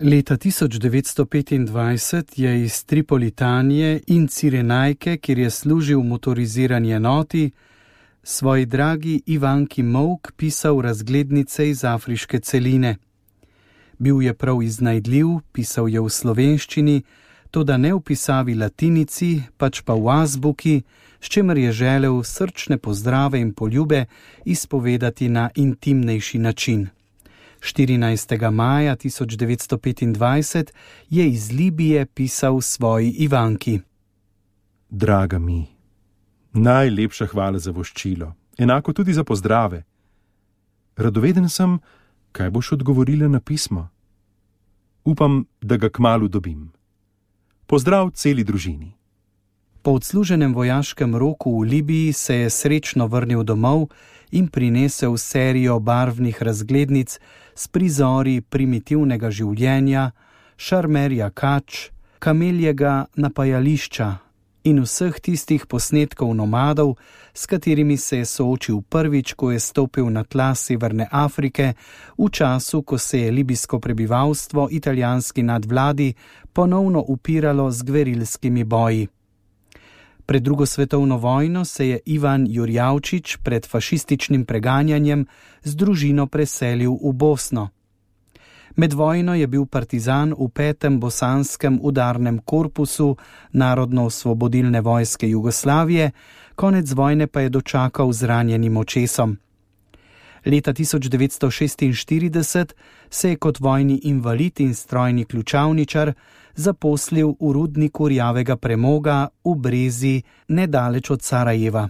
Leta tisoč devetsto petindvajset je iz Tripolitanije in Cirenajke, kjer je služil v motorizirani enoti, svoji dragi Ivanki Molk pisal razglednice iz afriške celine. Bil je prav iznajdljiv, pisal je v slovenščini, toda ne v pisavi latinici, pač pa v azbuki, s čimer je želel srčne pozdrave in poljube izpovedati na intimnejši način. štirinajstega maja tisoč devetsto petindvajset je iz Libije pisal svoji Ivanki. Draga mi, najlepša hvala za voščilo, enako tudi za pozdrave. Radoveden sem, kaj boš odgovorila na pismo. Upam, da ga kmalu dobim. Pozdrav celi družini. Po odsluženem vojaškem roku v Libiji se je srečno vrnil domov in prinesel serijo barvnih razglednic s prizori primitivnega življenja, šarmerja kač, kameljega napajališča in vseh tistih posnetkov nomadov, s katerimi se je soočil prvič, ko je stopil na tla Severne Afrike, v času, ko se je libijsko prebivalstvo italijanski nadvladi ponovno upiralo z gverilskimi boji. Pred drugo svetovno vojno se je Ivan Jurjavčič pred fašističnim preganjanjem z družino preselil v Bosno. Med vojno je bil partizan v petem bosanskem udarnem korpusu Narodno-osvobodilne vojske Jugoslavije, konec vojne pa je dočakal z ranjenim očesom. Leta tisoč devetsto šestinštirideset se je kot vojni invalid in strojni ključavničar zaposlil v rudniku rjavega premoga v Brezi nedaleč od Sarajeva.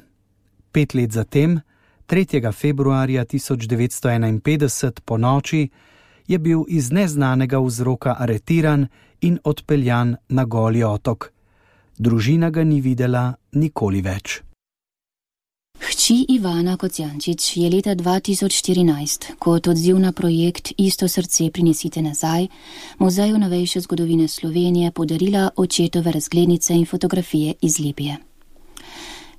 Pet let zatem, tretjega februarja tisoč devetsto enainpetdeset po noči, je bil iz neznanega vzroka aretiran in odpeljan na Goli otok. Družina ga ni videla nikoli več. Hči Ivana Kocijančič je leta dva tisoč štirinajst kot odziv na projekt Isto srce prinesite nazaj Muzeju novejše zgodovine Slovenije podarila očetove razglednice in fotografije iz Libije.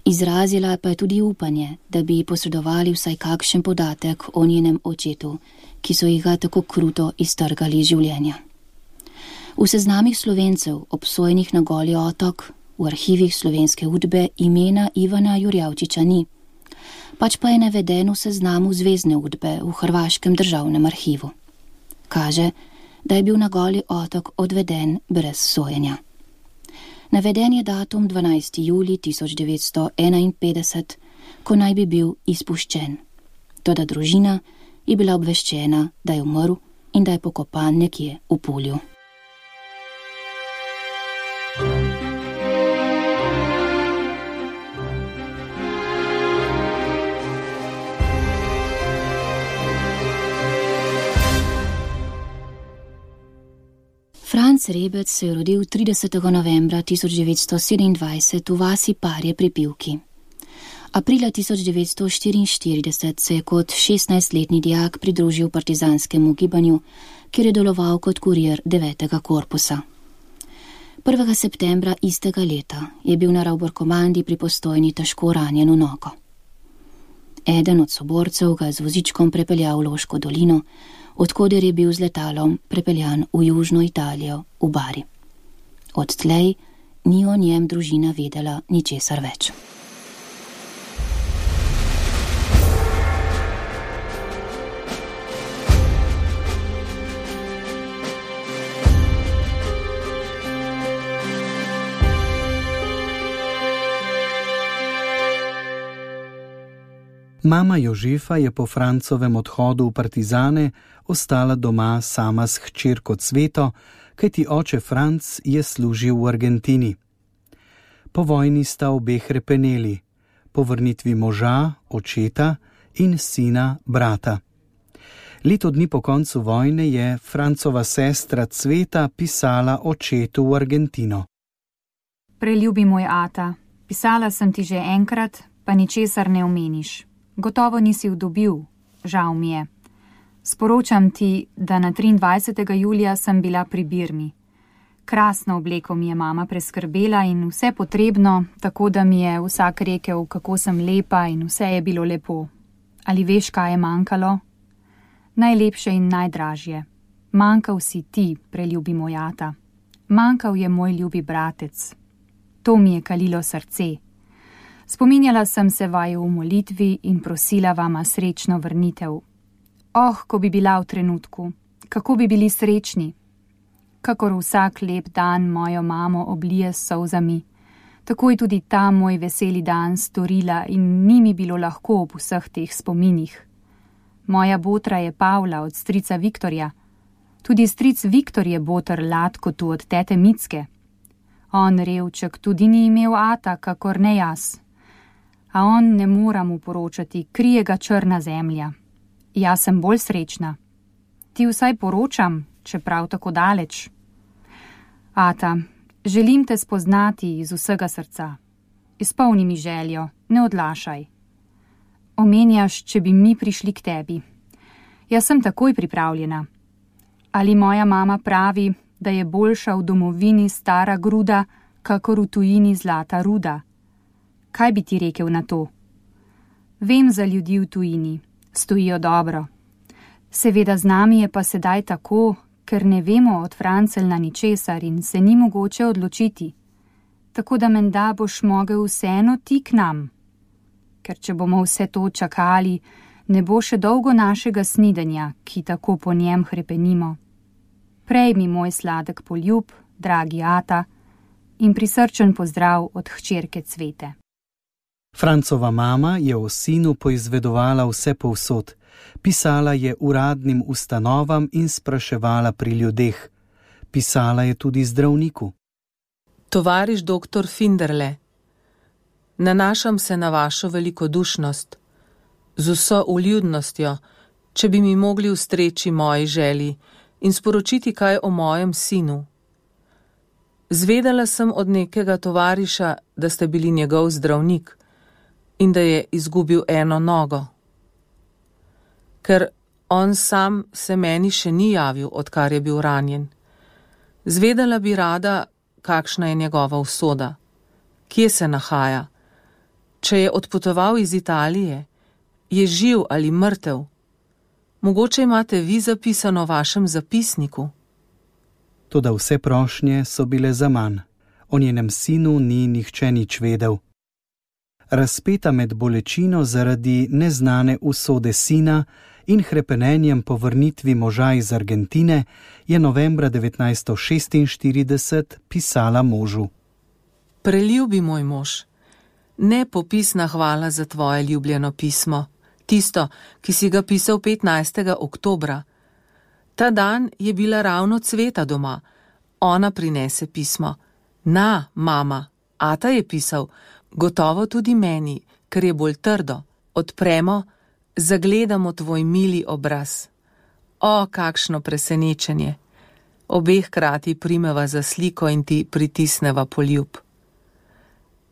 Izrazila pa je tudi upanje, da bi posredovali vsaj kakšen podatek o njenem očetu, ki so jih ga tako kruto iztrgali iz življenja. V seznamih Slovencev, obsojenih na Goli otok, v arhivih Slovenske udbe imena Ivana Jurjavčiča ni, pač pa je naveden v seznamu Zvezne udbe v Hrvaškem državnem arhivu. Kaže, da je bil na Goli otok odveden brez sojenja. Naveden je datum dvanajsti julij tisoč devetsto enainpetdeset, ko naj bi bil izpuščen. Toda družina je bila obveščena, da je umrl in da je pokopan nekje v Pulju. Franc Rebec se je rodil tridesetega novembra tisoč devetsto sedemindvajset v vasi Parje pri Pivki. Aprila tisoč devetsto štiriinštirideset se je kot šestnajstletni dijak pridružil partizanskemu gibanju, kjer je deloval kot kurir devetega korpusa. prvega septembra istega leta je bil na Ravbor-komandi pri Postojni težko ranjen v nogo. Eden od soborcev ga je z vozičkom prepeljal v Loško dolino, odkoder je bil z letalom prepeljan v južno Italijo, v Bari. Odtlej ni o njem družina vedela ničesar več. Mama Jožefa je po Francovem odhodu v partizane ostala doma sama s hčerko Cveto, kajti oče Franc je služil v Argentini. Po vojni sta obe hrepeneli, po vrnitvi moža, očeta in sina, brata. Leto dni po koncu vojne je Francova sestra Cveta pisala očetu v Argentino. Preljubi moj ata, pisala sem ti že enkrat, pa ničesar ne omeniš. Gotovo nisi vdobil, žal mi je. Sporočam ti, da na triindvajsetega julija sem bila pri Birmi. Krasno obleko mi je mama preskrbela in vse potrebno, tako da mi je vsak rekel, kako sem lepa in vse je bilo lepo. Ali veš, kaj je manjkalo? Najlepše in najdražje. Manjkal si ti, preljubi moj ata. Manjkal je moj ljubi bratec. To mi je kalilo srce. Spominjala sem se vaju v molitvi in prosila vama srečno vrnitev. Oh, ko bi bila v trenutku, kako bi bili srečni. Kakor vsak lep dan mojo mamo oblije s solzami, tako je tudi ta moj veseli dan storila in ni mi bilo lahko ob vseh teh spominih. Moja botra je Pavla od strica Viktorja. Tudi stric Viktor je boter Latko tu od tete Micke. On, revček, tudi ni imel ata, kakor ne jaz. A on ne mora mu poročati, krije ga črna zemlja. Jaz sem bolj srečna. Ti vsaj poročam, čeprav tako daleč. Ata, želim te spoznati iz vsega srca. Izpolni mi željo, ne odlašaj. Omenjaš, če bi mi prišli k tebi. Jaz sem takoj pripravljena. Ali moja mama pravi, da je boljša v domovini stara gruda, kakor v tujini zlata ruda? Kaj bi ti rekel na to? Vem za ljudi v tujini, stojijo dobro. Seveda z nami je pa sedaj tako, ker ne vemo od Francelna ničesar in se ni mogoče odločiti. Tako da menda boš mogel vseeno ti k nam. Ker če bomo vse to čakali, ne bo še dolgo našega snidenja, ki tako po njem hrepenimo. Prejmi moj sladek poljub, dragi ata, in prisrčen pozdrav od hčerke Cvete. Francova mama je o sinu poizvedovala vse povsod, pisala je uradnim ustanovam in spraševala pri ljudeh. Pisala je tudi zdravniku. Tovariš doktor Finderle, nanašam se na vašo velikodušnost, z vso uljudnostjo, če bi mi mogli ustreči moji želji in sporočiti kaj o mojem sinu. Zvedela sem od nekega tovariša, da ste bili njegov zdravnik in da je izgubil eno nogo. Ker on sam se meni še ni javil, odkar je bil ranjen. Zvedela bi rada, kakšna je njegova usoda, kje se nahaja, če je odpotoval iz Italije, je živ ali mrtev. Mogoče imate vi zapisano v vašem zapisniku. Toda vse prošnje so bile zaman. O njenem sinu ni nihče nič vedel. Razpeta med bolečino zaradi neznane usode sina in hrepenenjem po vrnitvi moža iz Argentine, je novembra devetnajststo šestinštirideset pisala možu. Preljubi moj mož, nepopisna hvala za tvoje ljubljeno pismo, tisto, ki si ga pisal petnajstega oktobra. Ta dan je bila ravno Cveta doma, ona prinese pismo. Na, mama, ata je pisal, gotovo tudi meni, ker je bolj trdo. Odpremo, zagledamo tvoj mili obraz. O, kakšno presenečenje! Obeh hkrati primeva za sliko in ti pritisneva poljub.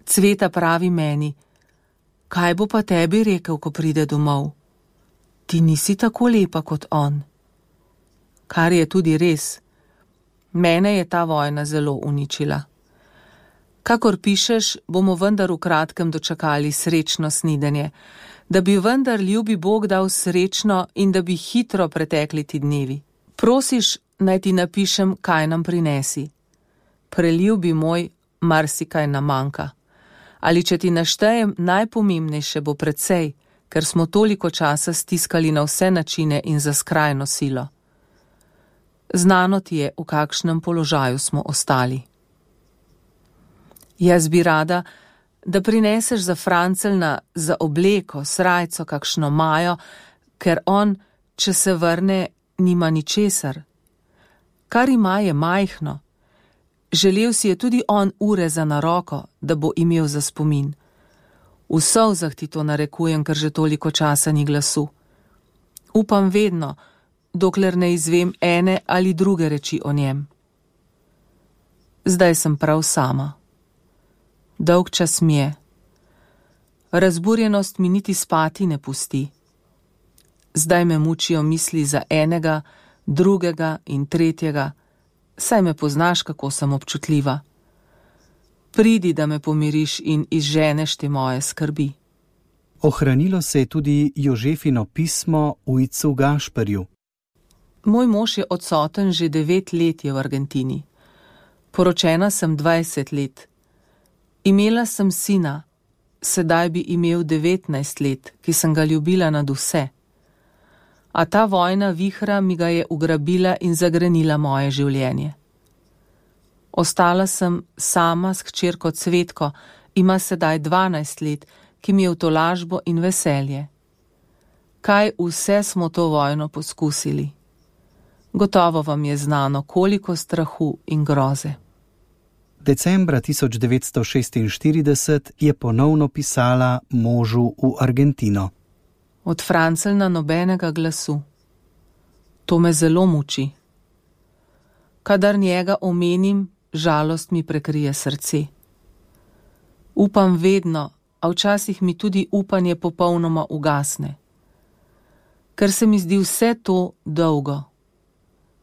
Cveta pravi meni, kaj bo pa tebi rekel, ko pride domov? Ti nisi tako lepa kot on. Kar je tudi res. Mene je ta vojna zelo uničila. Kakor pišeš, bomo vendar v kratkem dočakali srečno snidenje, da bi vendar ljubi Bog dal srečno in da bi hitro pretekli ti dnevi. Prosiš, naj ti napišem, kaj nam prinesi. Preljubi moj, marsikaj nam manjka. Ali če ti naštejem, najpomembnejše bo precej, ker smo toliko časa stiskali na vse načine in za skrajno silo. Znano ti je, v kakšnem položaju smo ostali. Jaz bi rada, da prineseš za Francelna, za obleko, srajco, kakšno majo, ker on, če se vrne, nima ničesar. Kar ima je majhno. Želel si je tudi on ure za na roko, da bo imel za spomin. V solzah ti to narekujem, ker že toliko časa ni glasu. Upam vedno, dokler ne izvem ene ali druge reči o njem. Zdaj sem prav sama. Dolg čas mi je. Razburjenost mi niti spati ne pusti. Zdaj me mučijo misli za enega, drugega in tretjega, saj me poznaš, kako sem občutljiva. Pridi, da me pomiriš in izženeš te moje skrbi. Ohranilo se je tudi Jožefino pismo ujcu Gašperju. Moj mož je odsoten že devet let je v Argentini. Poročena sem dvajset let. Imela sem sina, sedaj bi imel devetnajst let, ki sem ga ljubila nad vse. A ta vojna vihra mi ga je ugrabila in zagrenila moje življenje. Ostala sem sama s hčerko Cvetko, ima sedaj dvanajst let, ki mi je v tolažbo in veselje. Kaj vse smo to vojno poskusili? Gotovo vam je znano, koliko strahu in groze. Decembra tisoč devetsto šestinštirideset je ponovno pisala možu v Argentino. Od Francelna nobenega glasu. To me zelo muči. Kadar njega omenim, žalost mi prekrije srce. Upam vedno, a včasih mi tudi upanje popolnoma ugasne. Ker se mi zdi vse to dolgo.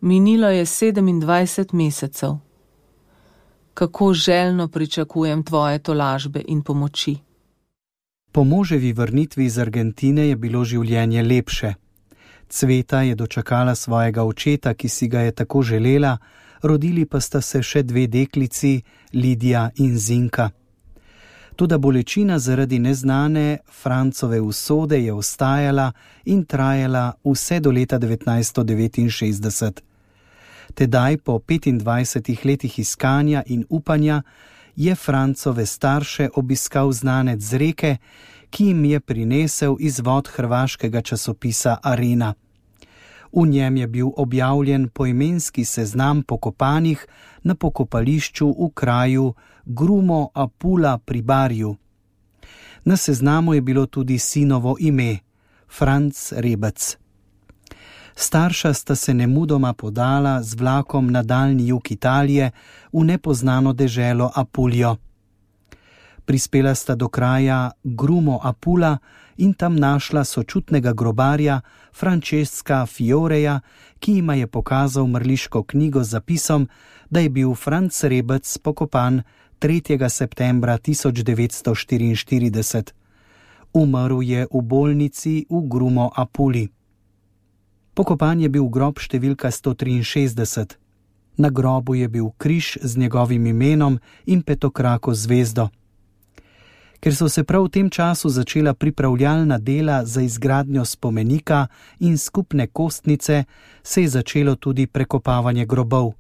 Minilo je sedemindvajset mesecev. Kako željno pričakujem tvoje tolažbe in pomoči. Po moževi vrnitvi iz Argentine je bilo življenje lepše. Cveta je dočakala svojega očeta, ki si ga je tako želela, rodili pa sta se še dve deklici, Lidija in Zinka. Toda bolečina zaradi neznane Francove usode je ostajala in trajala vse do leta devetnajststo devetinšestdeset. Tedaj, po petindvajsetih letih iskanja in upanja, je Francove starše obiskal znanec z Reke, ki jim je prinesel izvod hrvaškega časopisa Arena. V njem je bil objavljen poimenski seznam pokopanih na pokopališču v kraju Grumo Apula pri Barju. Na seznamu je bilo tudi sinovo ime, Franc Rebec. Starša sta se nemudoma podala z vlakom na daljni jug Italije v nepoznano deželo Apuljo. Prispela sta do kraja Grumo Apula in tam našla sočutnega grobarja Francesca Fioreja, ki jima je pokazal mrliško knjigo z zapisom, da je bil Franc Rebec pokopan tretjega septembra tisoč devetsto štiriinštirideset. Umrl je v bolnici v Grumo Apuli. Pokopan je bil grob številka sto triinšestdeset. Na grobu je bil križ z njegovim imenom in petokrako zvezdo. Ker so se prav v tem času začela pripravljalna dela za izgradnjo spomenika in skupne kostnice, se je začelo tudi prekopavanje grobov.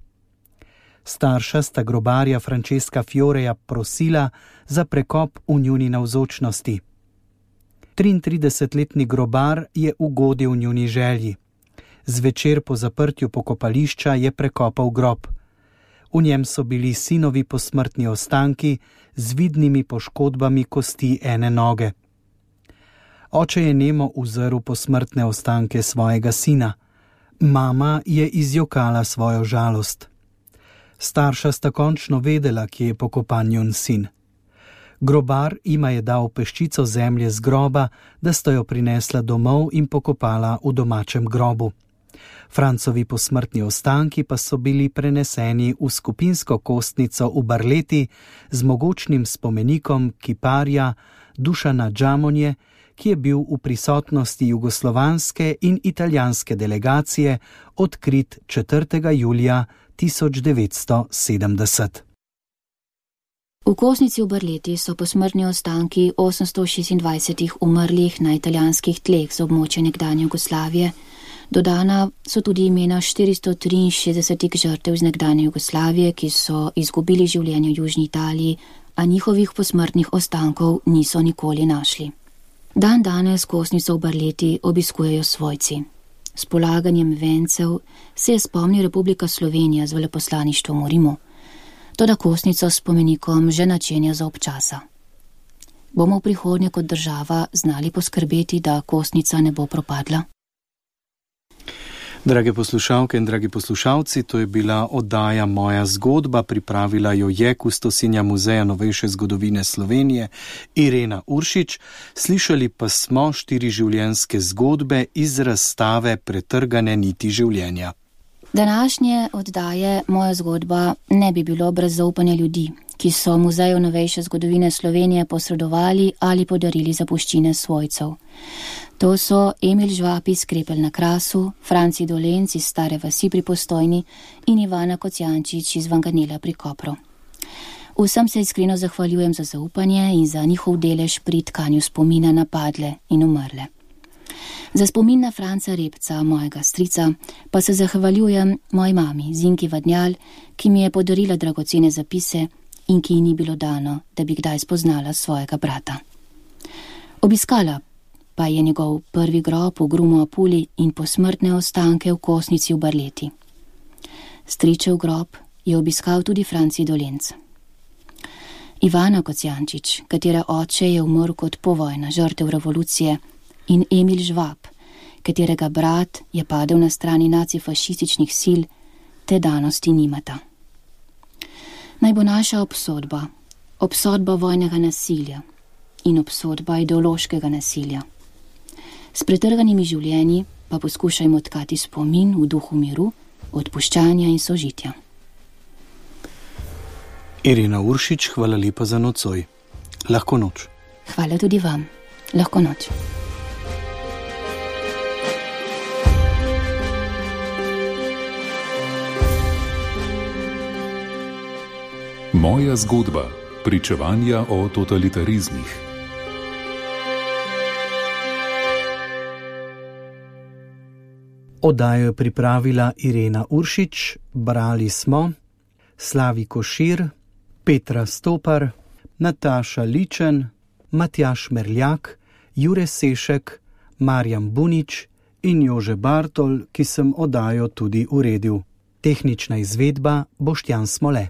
Starša sta grobarja Francesca Fioreja prosila za prekop v njuni navzočnosti. triintridesetletni grobar je ugodil njuni želji. Zvečer po zaprtju pokopališča je prekopal grob. V njem so bili sinovi posmrtni ostanki z vidnimi poškodbami kosti ene noge. Oče je nemo uzrl posmrtne ostanke svojega sina. Mama je izjokala svojo žalost. Starša sta končno vedela, kje je pokopan njun sin. Grobar jima je dal peščico zemlje z groba, da sta jo prinesla domov in pokopala v domačem grobu. Francovi posmrtni ostanki pa so bili preneseni v skupinsko kostnico v Barleti z mogočnim spomenikom kiparja Dušana Džamonje, ki je bil v prisotnosti jugoslovanske in italijanske delegacije odkrit četrtega julija tisoč devetsto sedemdeset. V kostnici v Barleti so posmrtni ostanki osemsto šestindvajsetih umrlih na italijanskih tleh z območja nekdanje Jugoslavije. Dodana so tudi imena štiristo triinšestdesetih žrtev iz nekdanje Jugoslavije, ki so izgubili življenje v Južni Italiji, a njihovih posmrtnih ostankov niso nikoli našli. Dan danes kostnico v Barleti obiskujejo svojci. S polaganjem vencev se je spomni Republika Slovenija z veleposlaništvom v Rimu. Toda kostnico s spomenikom že načenja za občasa. Bomo v prihodnje kot država znali poskrbeti, da kostnica ne bo propadla? Drage poslušalke in dragi poslušalci, to je bila oddaja Moja zgodba, pripravila jo je kustosinja Muzeja novejše zgodovine Slovenije Irena Uršič. Slišali pa smo štiri življenjske zgodbe iz razstave Pretrgane niti življenja. Današnje oddaje Moja zgodba ne bi bilo brez zaupanja ljudi, ki so Muzeju novejše zgodovine Slovenije posredovali ali podarili zapuščine svojcev. To so Emil Žvab iz Krepelj na Krasu, Franci Dolenc iz Stare vasi pri Postojni in Ivana Kocijančič iz Vanganela pri Kopru. Vsem se iskreno zahvaljujem za zaupanje in za njihov delež pri tkanju spomina na padle in umrle. Za spomin na Franca Repca, mojega strica, pa se zahvaljujem moji mami, Zinki Vadnjal, ki mi je podarila dragocene zapise in ki ji ni bilo dano, da bi kdaj spoznala svojega brata. Obiskala pa je njegov prvi grob v Grumu Apuli in posmrtne ostanke v kostnici v Barleti. Stričev grob je obiskal tudi Franci Dolenc. Ivana Kocijančič, katere oče je umrl kot povojna žrtev revolucije, in Emil Žvab, katerega brat je padel na strani nacifašističnih sil, te danosti nimata. Naj bo naša obsodba, obsodba vojnega nasilja in obsodba ideološkega nasilja. S pretrganimi življenji pa poskušajmo tkati spomin v duhu miru, odpuščanja in sožitja. Irena Uršič, hvala lepa za nocoj. Lahko noč. Hvala tudi vam. Lahko noč. Moja zgodba. Pričevanja o totalitarizmih. Oddajo je pripravila Irena Uršič, brali smo Slavi Košir, Petra Stopar, Nataša Ličen, Matjaž Merljak, Jure Sešek, Marjan Bunič in Jože Bartol, ki sem oddajo tudi uredil. Tehnična izvedba Boštjan Smole.